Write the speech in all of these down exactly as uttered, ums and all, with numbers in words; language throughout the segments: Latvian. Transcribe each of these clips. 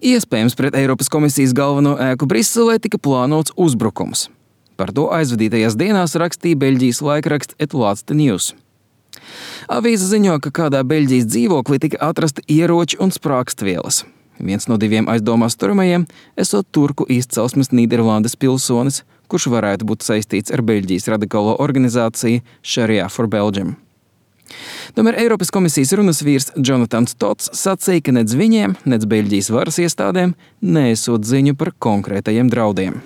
Iespējams, pret Eiropas komisijas galveno ēku Briselē tika plānots uzbrukums. Par to aizvadītajās dienās rakstīja Beļģijas laikraksts Et Laatste Nieuws. Avīze ziņo, ka kādā Beļģijas dzīvoklī tika atrasti ieroči un sprākstvielas. Viens no diviem aizdomās turamajiem esot turku izcelsmes Nīderlandes pilsonis, kurš varētu būt saistīts ar Beļģijas radikālo organizāciju Sharia for Belgium. Tomēr Eiropas komisijas runas vīrs Jonatans Tots sacīja, ka nec viņiem, nec Beļģijas varas iestādēm neesot ziņu par konkrētajiem draudiem.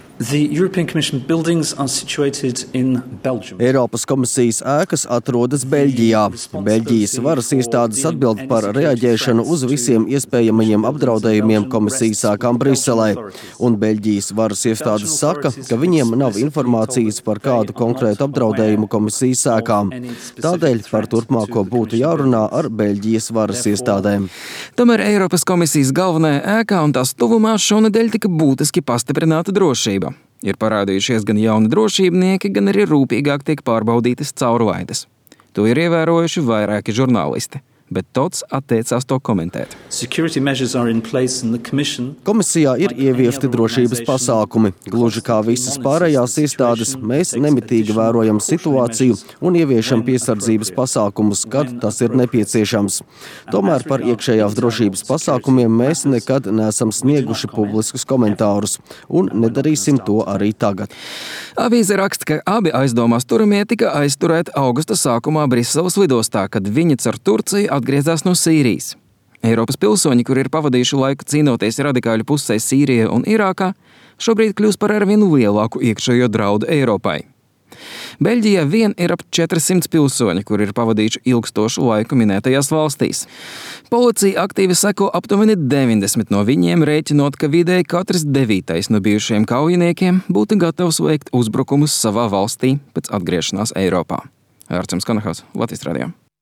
Eiropas komisijas ēkas atrodas Beļģijā. Beļģijas varas iestādes atbild par reaģēšanu uz visiem iespējamajiem apdraudējumiem komisijas ēkām Briselē. Un Beļģijas varas iestādes saka, ka viņiem nav informācijas par kādu konkrētu apdraudējumu komisijas ēkām. Tādēļ par turpmāko būtu jārunā ar Beļģijas varas iestādēm. Tomēr Eiropas komisijas galvenajā ēkā un tās tuvumā šonedēļ tika būtiski pastiprināta drošība. Ir parādījušies gan jauni drošībnieki, gan arī rūpīgāk tiek pārbaudītas caurlaides. To ir ievērojuši vairāki žurnālisti, bet Tots atteicās to komentēt. Komisijā ir ieviesti drošības pasākumi. Gluži kā visas pārējās iestādes, mēs nemitīgi vērojam situāciju un ieviešam piesardzības pasākumus, kad tas ir nepieciešams. Tomēr par iekšējās drošības pasākumiem mēs nekad neesam snieguši publiskus komentārus un nedarīsim to arī tagad. Avīze raksta, ka abi aizdomās turamie tika aizturēti augusta sākumā Briseles lidostā, kad viņi caur Turciju atgriezās no Sīrijas. Eiropas pilsoņi, kuri ir pavadījuši laiku cīnoties radikāļu pusē Sīrijā un Irākā, šobrīd kļūst par arvien lielāku iekšējo draudu Eiropai. Beļģijā vien ir ap četrsimt pilsoņi, kuri ir pavadījuši ilgstošu laiku minētajās valstīs. Policija aktīvi seko aptuveni deviņdesmit no viņiem, rēķinot, ka vidēji katrs devītais no bijušajiem kaujiniekiem būtu gatavs veikt uzbrukumus savā valstī pēc atgriešanās Eiropā. Ārčuns Kanahas, Latvijas radio.